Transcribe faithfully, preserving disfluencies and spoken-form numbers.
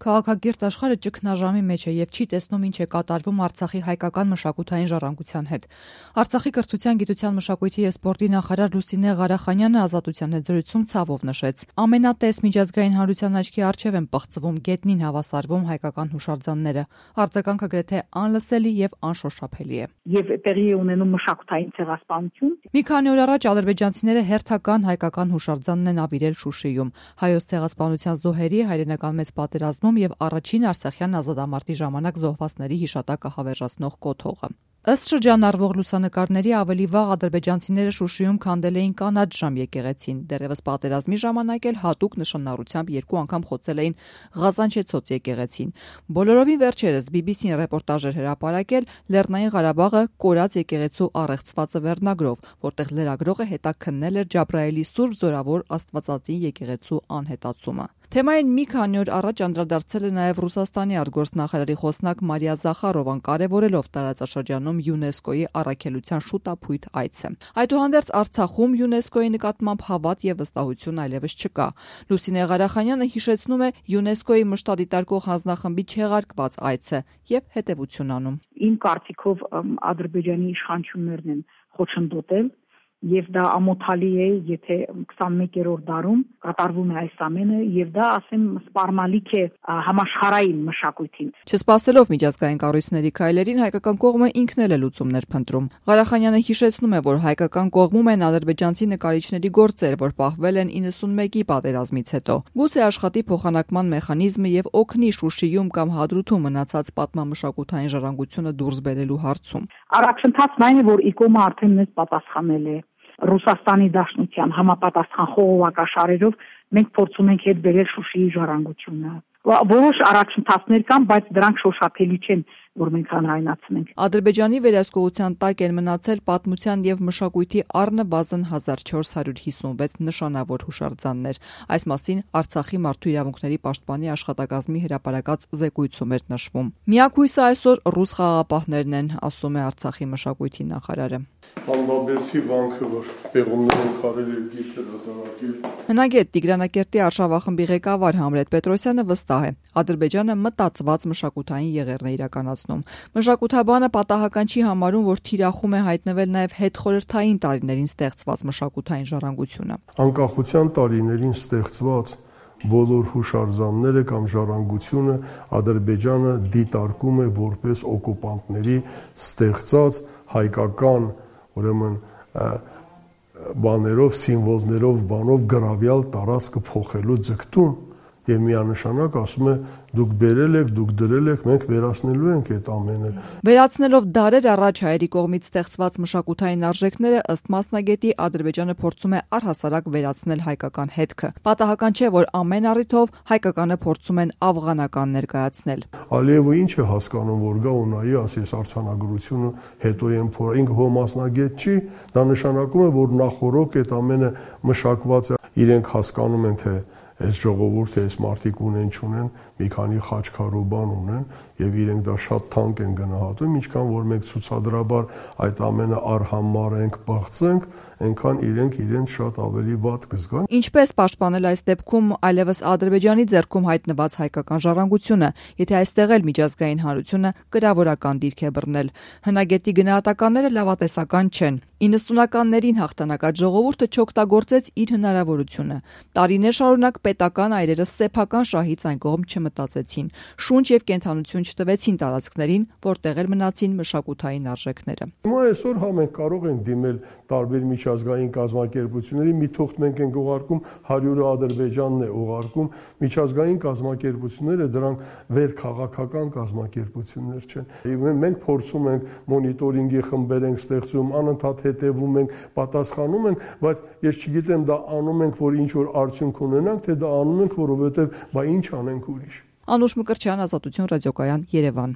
Քաղաքակիրթ աշխարհը ճգնաժամի մեջ է եւ չի տեսնում ինչ է կատարվում Արցախի հայկական մշակութային ժառանգության հետ։ Արցախի կրթության, գիտության, մշակույթի եւ սպորտի նախարար Լուսինե Ղարախանյանը Ազատության հետ զրույցում ցավով նշեց. ամենատես միջազգային հանրության աչքի առջև են պղծվում, գետնին հավասարվում հայկական հուշարձանները։ Արձագանքը գրեթե անլսելի եւ անշոշափելի է։ Եվ տեղի է ունենում մշակութային ցեղասպանություն։ Մի քանի օր առաջ ադրբեջանցիները հերթական հայկական հուշարձանն են ավիրել Շուշիում։ Հայոց ցեղասպանության զոհերի հայրենական մեծ պատերազմում եւ առաջին արցախյան ազատամարտի ժամանակ զոհվածների հիշատակը հավերժացնող կոթողը։ Ըստ շրջանառվող լուսանկարների ավելի վաղ ադրբեջանցիները Շուշիում քանդել էին կանաչ ժամ եկեղեցին, դեռևս պատերազմի ժամանակ էլ հատուկ նշանառությամբ երկու անգամ խոցել էին Ղազանչեցոց եկեղեցին։ Բոլորովին վերջերս բի բի սին ռեպորտաժ էր հրապարակել Լեռնային Ղարաբաղը կորած եկեղեցու առեղծվածը վերնագրով, որտեղ լրագրողը հետաքննել էր Ջաբրայելի Սուրբ Զորավոր Աստվածածին եկեղեցու անհետացումը։ Թեմային մի քանի օր առաջ անդրադարձել է նաև Ռուսաստանի արտգործնախարարի խոսնակ Մարիա Զախարովան, կարևորելով տարածաշրջանում ՅՈՒՆԵՍԿՕ-ի առաքելության շուտապույտ այցը։ Այդուհանդերձ Արցախում ՅՈՒՆԵՍԿՕ-ի նկատմամբ հավատ եւ վստահություն այլևս չկա։ Լուսինե Ղարախանյանը հիշեցնում է ՅՈՒՆԵՍԿՕ-ի մշտադիտարկող հանձնախմբի չեղարկված այցը եւ հետեւություն անում։ Իմ կարծիքով Ադրբեջանի իշխանություններն են խոչընդոտել եւ դա ամոթալի է, եթե քսանմեկերորդ դարում կատարվում է այս ամենը եւ դա, ասեմ, սպառնալիք է համաշխարհային մշակույթին։ Չսպասելով միջազգային կառույցների քայլերին, հայկական կողմը ինքն էլ է լուծումներ փնտրում։ Ղարախանյանը հիշեցնում է, որ հայկական կողմում են ադրբեջանցի նկարիչների գործեր, որ պահվել են իննսունմեկի պատերազմից հետո։ Գուցե աշխատի փոխանակման մեխանիզմը եւ օգնի Շուշիում կամ Հադրութում մնացած պատմամշակութային ժառանգությունը դուրս բերելու հարցում։ Առաջընթացն այն է, որ ԻԿՕՄ-ը արդեն մեզ պատասխանել է Ռուսաստանի Դաշնության համապատասխան խողովակաշարերով մենք փորձում ենք հետ բերել Շուշիի ժառանգությունը։ Որոշ առաջընթացներ կան, բայց դրանք շոշափելի չեն, որ մենք հանրայնացնենք։ Ադրբեջանի վերահսկողության տակ են մնացել պատմության եւ մշակույթի առնվազն հազար չորս հարյուր հիսունվեց նշանավոր հուշարձաններ։ Այս մասին Արցախի մարդու իրավունքների պաշտպանի աշխատակազմի հրապարակած զեկույցում էր նշվում։ Միակույսը այսօր ռուս խաղաղապահներն են, ասում է Արցախի մշակույթի նախարարը։ Անվաբերդի վանքը, որ պեղումներով կարել է գիտել հրատարակել։ Հնագետ Տիգրանակերտի արշավախմբի ղեկավար Համլետ Պետրոսյանը վստահ է, Ադրբեջանը մտածված մշակութային եղերն է իրականացնում։ Մշակութաբանը պատահական չի համարում, որ թիրախում է հայտնվել նաև հետխորհրդային տարիներին ստեղծված մշակութային ժառանգությունը։ Անկախության տարիներին ստեղծված բոլոր հուշարձանները կամ ժառանգությունը Ադրբեջանը դիտարկում է որպես օկուպանտների ստեղծած հայկական, ուրեմն բաներով, սիմվոլներով, բանով գրավյալ տարածքը փոխելու ձգտում եւ միանշանակ ասում է դուք բերել եք, դուք դրել եք, մենք վերացնելու ենք այդ ամենը։ Վերացնելով դարեր առաջ հայերի կողմից ստեղծված մշակութային արժեքները, ըստ մասնագետի, Ադրբեջանը փորձում է առհասարակ վերացնել հայկական հետքը։ Պատահական չէ, որ ամեն առիթով հայկականը փորձում են աֆղանական ներկայացնել։ Ալիևը ինչ է հասկանում, որ գա ու նայի, ասես արձանագրությունը հետո են փորա, ինքը հո մասնագետ չի, դա նշանակում է, որ նախորոք այդ ամենը մշակված է, իրենք հասկանում են, թե այս ժողովուրդը, այս մարդիկ ունեն չունեն, մի քանի խաչքարու բան ունեն եւ իրենք դա շատ թանկ են գնահատում, ինչքան որ մենք ցուցադրաբար այդ ամենը արհամար ենք, բաղցենք, այնքան իրենք իրենց շատ ավելի վատ կզգան։ Ինչպես պաշտպանել այս դեպքում այլևս Ադրբեջանի ձեռքում հայտնված հայկական ժառանգությունը, եթե այստեղ էլ միջազգային հանրությունը կրավորական դիրք է բռնել։ Հնագետի գնահատականները լավատեսական չեն։ իննսունականներին հաղթանակած ժողովուրդը չօգտագործեց իր հնարավորությունը։ Տարիներ շարունակ պետական այրերը սեփական շահից այն կողմ չմտածեցին, շունչ եւ կենթանություն չտվեցին տարածքներին, որտեղ էլ մնացին մշակութային արժեքները։ Հիմա այսօր հա մենք կարող ենք դիմել տարբեր միջազգային կազմակերպությունների, մի թուղթ մենք ենք ուղարկում, հարյուրը Ադրբեջանն է ուղարկում, միջազգային կազմակերպությունները դրանք վեր քաղաքական կազմակերպություններ չեն։ Մենք փորձում ենք մոնիտորինգի խմբեր ենք ստեղծում, անընդհատ հետևում ենք, պատասխանում ենք, բայց ես չգիտեմ դա անում ենք, որ ինչ որ արդյունք ունենանք, թե դա անում ենք, որովհետև բա ինչ անենք ուրիշ։ Անուշ Մկրտչյան, Ազատություն ռադիոկայան, Երևան։